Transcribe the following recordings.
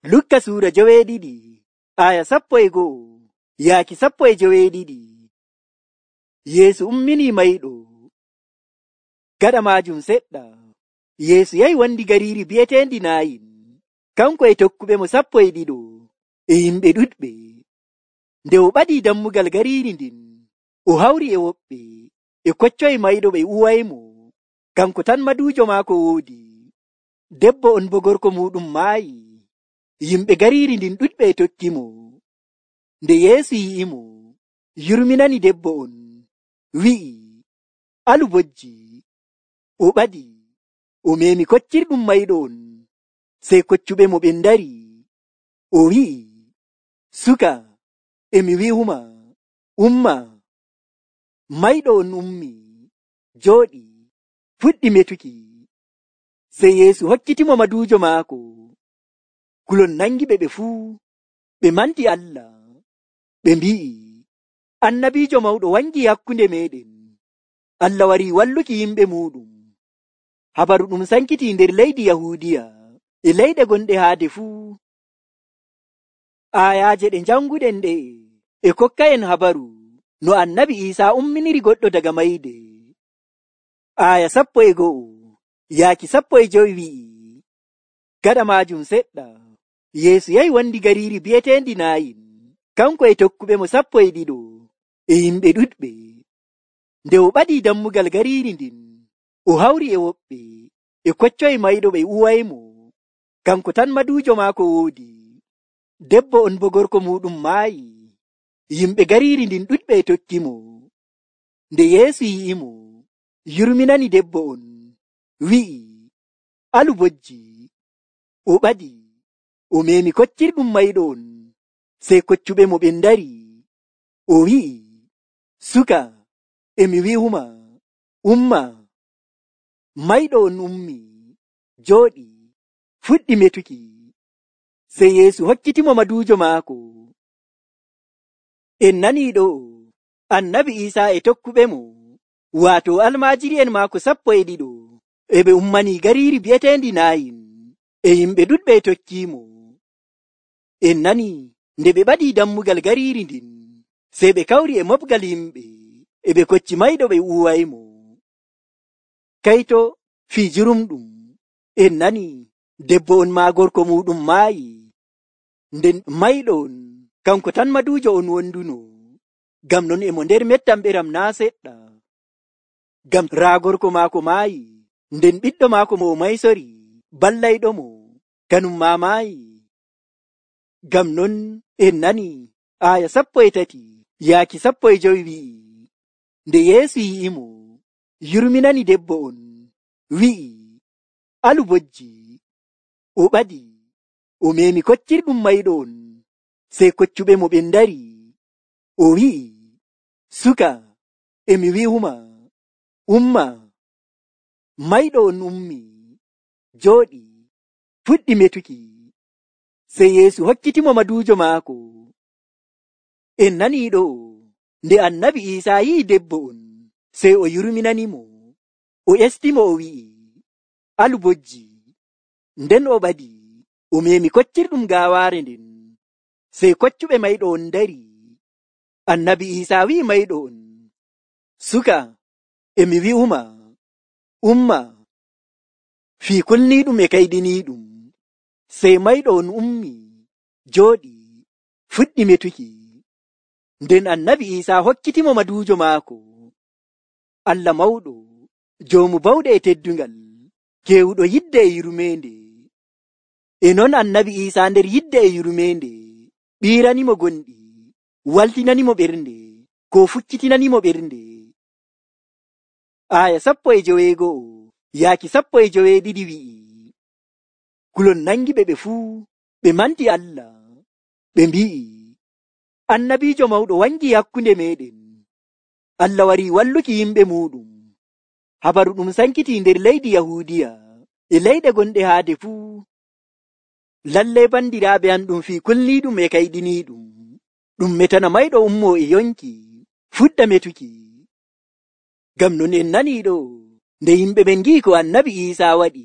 Lukka suura 12 aya 11 yaaki 12. Yeesu ummini mayɗo. Gaɗa maajum seɗɗa, Yeesu yahi wondi gariiri bi'eteendi Naayin, kanko e tokkuɓe mo 12 e yimɓe ɗuɗɓe. Nde o ɓadii dammugal gariiri ndin, o hawri e woɓɓe e koccoyi mayɗo ɓe uwaymo, kanko tan maduujo maako woodi. Debbo on bo gorko muuɗum maayi. Yimɓe gariiri ndin ɗuɗɓe e tokkimo. Nde Yeesu yi'imo, yurminani debbo on, wi'i, "Alu bojji." O ɓadi, o meemi koccirɗum mayɗo on, sey koccuɓe mo ɓen ndari. O wi'i, "Suka, emi wi'uma, umma." Mayɗo on ummi, jooɗi, fuɗɗi metuki. Sey Yeesu hokkitimo maduujo maako. Kulol nangiɓe ɓe fuu, ɓe manti Allah. Ɓe mbi'i, "Annabiijo mawɗo wangi hakkunde meɗen. Allah warii walluki yimɓe muuɗum." Habaru ɗum sankiti nder leydi Yahuudiya e leyɗe gonɗe haade fuu. Aayaaje ɗe janguɗen ɗe e kokka en habaru no Annabi Iisaa umminiri goɗɗo daga mayde. Aya 11 yaaki 15 wi'i, gaɗa maajum seɗɗa, Yeesu yahi wondi gariiri bi'eteendi Naayin, kanko e tokkuɓe mo 12 e yimɓe ɗuɗɓe. Nde o ɓadii dammugal gariiri ndin, o hawri e woɓɓe e koccoyi mayɗo ɓe uwaymo, kanko tan maduujo maako woodi. Debbo on bo gorko muuɗum maayi. Yimɓe gariiri ndin ɗuɗɓe e tokkimo. Nde Yeesu yi'imo, yurminani debbo on, wi'i, "Alu bojji." O ɓadi, o meemi koccirɗum mayɗo on, sey koccuɓe mo ɓen ndari. O wi'i, "Suka, emi wi'uma, umma." Mayɗo on ummi, jooɗi, fuɗɗi metuki. Sey Yeesu hokkitimo maduujo maako. En nanii ɗo, Annabi Iisaa e tokkuɓe mo, waato almaajiri'en maako 12 e ɓe ummanii gariiri bi'eteendi Naayin, e yimɓe ɗuɗɓe e tokkiimo. En nanii nde ɓe ɓadii dammugal gariiri ndin, sey ɓe kawri e moɓgal yimɓe, e ɓe kocci mayɗo ɓe uwaymo. Kayto fii jurumɗum, en nanii debbo on maa gorko muuɗum maayi. Nden mayɗo on, kanko tan maduujo on wonduno, ngam non emo nder mettam ɓeram naa seɗɗa. Ngam raa gorko maako maayi, nden ɓiɗɗo maako mo o maysori, ballayɗomo, kanum maa maayi. Ngam non en nanii aya 13 yaaki 15 wi'i, nde Yeesu yi'imo, yurminani debbo on, wi'i, "Alu bojji." O ɓadi, o meemi koccirɗum mayɗo on, sey koccuɓe mo ɓen ndari. O wi'i, "Suka, emi wi'uma, umma." Mayɗo on ummi, jooɗi, fuɗɗi metuki. Sey Yeesu hokkitimo maduujo maako. En nanii ɗo, nde Annabi Iisaa yi'i debbo on, sey o yurminanimo. O estimo o wi'i, "Alu bojji." Nden o ɓadi, o meemi koccirɗum gaawaare nden, sey koccuɓe mayɗo on ndari. Annabi Iisaa wi'i mayɗo on, "Suka, emi wi'uma, umma." Fii kulniiɗum e kayɗiniiɗum, sey mayɗo on ummi, jooɗi, fuɗɗi metuki. Nden Annabi Iisaa hokkitimo maduujo maako. Allah mawɗo, joomu bawɗe e teddungal, keewuɗo yidde e yurmeende. E non Annabi Iisaa nder yidde e yurmeende ɓiiranimo gonɗi, waltinanimo ɓernde, ko fukkitinanimo ɓernde. Aya 11 yaaki 12 wi'i, kulol nangiɓe ɓe fuu, ɓe manti Allah. Ɓe mbi'i, "Annabiijo mawɗo wangi hakkunde meɗen. Allah warii walluki yimɓe muuɗum." Habaru ɗum sankiti nder leydi Yahuudiya e leyɗe gonɗe haade fuu. Lallay bandiraaɓe am ɗum fii kulniiɗum e kayɗiniiɗum, ɗum metana mayɗo ummoo e yonki, fuɗɗa metuki. Ngam non en nanii ɗo, nde yimɓe ɓen ngi'i ko Annabi Iisaa waɗi,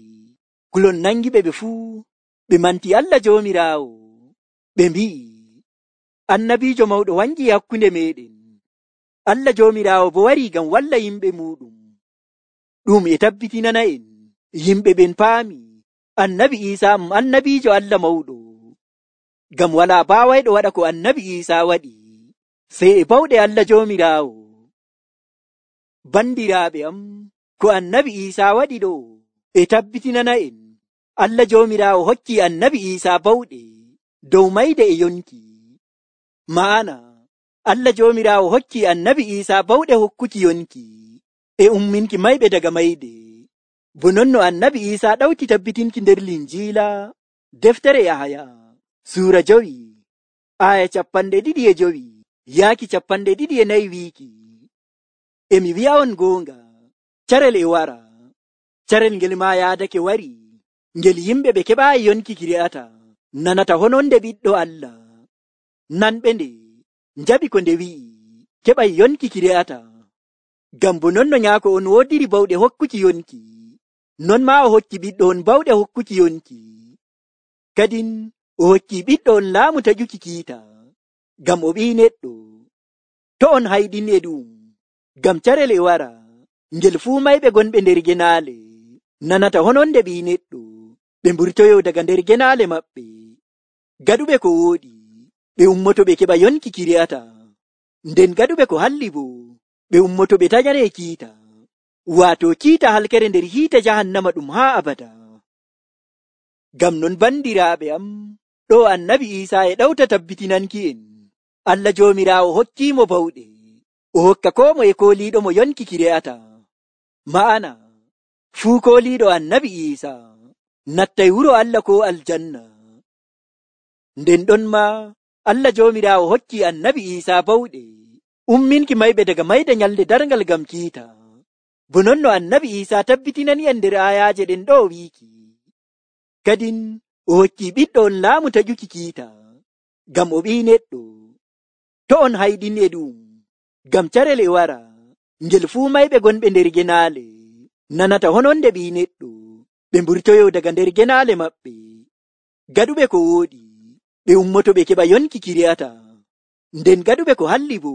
kulol nangiɓe ɓe fuu, ɓe manti Allah Joomiraawo. Ɓe mbi'i, annabiijo mawɗo wangi hakkunde meɗen. Allah Joomiraawo bo warii ngam walla yimɓe muɗum. Ɗum e tabbitinana en yimɓe ɓen paami annabi Iisaa annabiijo Allah mawɗo. Ngam walaa baawayɗo waɗa ko annabi Iisaa waɗi sey e bawɗe Allah Joomiraawo. Bandiraaɓe am, ko annabi Iisaa waɗi ɗo e tabbitinana en Allah Joomiraawo hokki annabi Iisaa bawɗe dow mayde e yonki. Ma'ana Allah Joomiraawo hokki annabi Iisaa bawɗe hokkuki yonki e umminki mayɓe daga mayde. Bo non no annabi Iisaa ɗawti tabbitinki nder Linjiila deftere Yahaya suura 5 aya 25 yaaki 24 wiiki, emi wi'a'on goonga, carel e wara, carel ngel maa yaadake wari, ngel yimɓe ɓe keɓaayi yonki ki re'ata, nanata hononde ɓiɗɗo Allah. Nanɓe nde njaɓi ko nde wi'i, keɓay yonki ki re'ata. Ngam bo non no nyaako on woodiri bawɗe hokkuki yonki, non maa o hokki ɓiɗɗo on bawɗe hokkuki yonki. Kadin o hokki ɓiɗɗo on laamu taƴuki kiita, ngam o ɓii neɗɗo. To on hayɗin e ɗum, ngam carel e wara, ngel fuu mayɓe gonɓe nder genaale nanata hononde ɓii neɗɗo, ɓe mburtoyo daga nder genaale maɓɓe. Gaɗuɓe ko wooɗi, ɓe ummoto ɓe keɓa yonki ki re'ata, nden gaɗuɓe ko halli bo, ɓe ummoto ɓe taƴane kiita, waato kiita halkere nder hiite jahannama ɗum haa abada. Ngam non bandiraaɓe am, ɗo annabi Iisaa e ɗawta tabbitinanki en Allah Joomiraawo hokkiimo bawɗe, o hokka koo moye kooliiɗo mo yonki ki re'ata. Ma'ana fuu kooliiɗo annabi Iisaa nattay wuro Allah ko aljanna. Nden ɗon ma Allah Joomiraawo hokki annabi Iisaa bawɗe umminki mayɓe daga mayde nyalde darngal ngam kiita. Bo non no annabi Iisaa tabbitinani en nder ayaaje ɗen ɗo wiiki, kadin o hokki ɓiɗɗo on laamu taƴuki kiita, ngam o ɓii neɗɗo. To on hayɗin e ɗum, ngam carel e wara, ngel fuu mayɓe gonɓe nder genaale nanata hononde ɓii neɗɗo, ɓe mburtoyo daga nder genaale maɓɓe. Gaɗuɓe ko wooɗi, ɓe ummoto ɓe keɓa yonki ki re'ata, nden gaɗuɓe ko halli bo,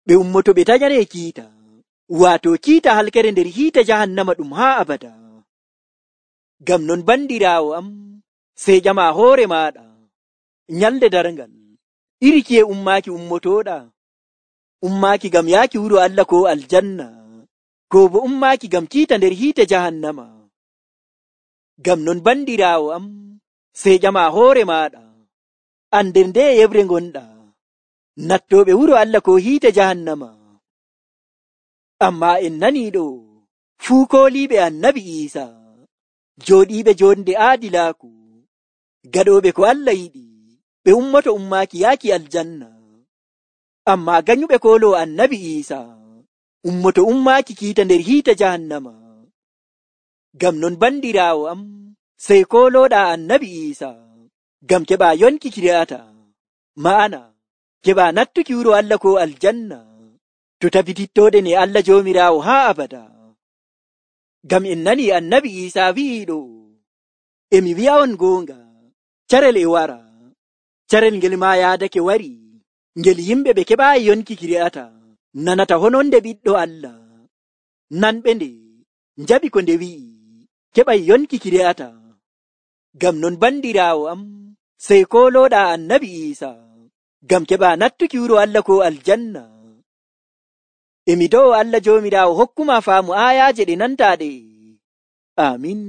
ɓe ummoto ɓe taƴane kiita, waato kiita halkere nder hiite jahannama ɗum haa abada. Ngam non bandiraawo am, sey ƴama hoore maaɗa, nyalde darngal iri kiye ummaaki ummotoɗa? Ummaaki ngam yaaki wuro Allah ko aljanna, ko bo ummaaki ngam kiita nder hiite jahannama? Ngam non bandiraawo am, sey ƴama hoore maaɗa, an nder nde yebre ngonɗa, nattoɓe wuro Allah ko hiite jahannama? Amma en nanii ɗo, fuu kooliiɓe annabi Iisaa, jooɗiiɓe jonde aadilaaku, gaɗooɓe ko Allah yiɗi, ɓe ummoto ummaaki yaaki aljanna. Amma ganyuɓe koolo annabi Iisaa ummoto ummaaki kiita nder hiite jahannama. Ngam non bandiraawo am, sey koolooɗa annabi Iisaa ngam keɓa yonki ki re'ata, ma'ana keɓa nattuki wuro Allah ko aljanna, to tabitittoɗen e Allah Joomiraawo haa abada. Ngam en nani annabi Iisaa wi'i ɗo, emi wi'a'on goonga, carel e wara, carel ngel maa yaadake wari, ngel yimɓe ɓe keɓaayi yonki ki re'ata, nanata hononde ɓiɗɗo Allah. Nanɓe nde njaɓi ko nde wi'i, keɓay yonki ki re'ata. Ngam non bandiraawo am, sey koolooɗa annabi Iisaa ngam keɓa nattuki wuro Allah ko aljanna. Emi do'o Allah Joomiraawo hokkuma faamu ayaaje ɗe nantaaɗe. Amin.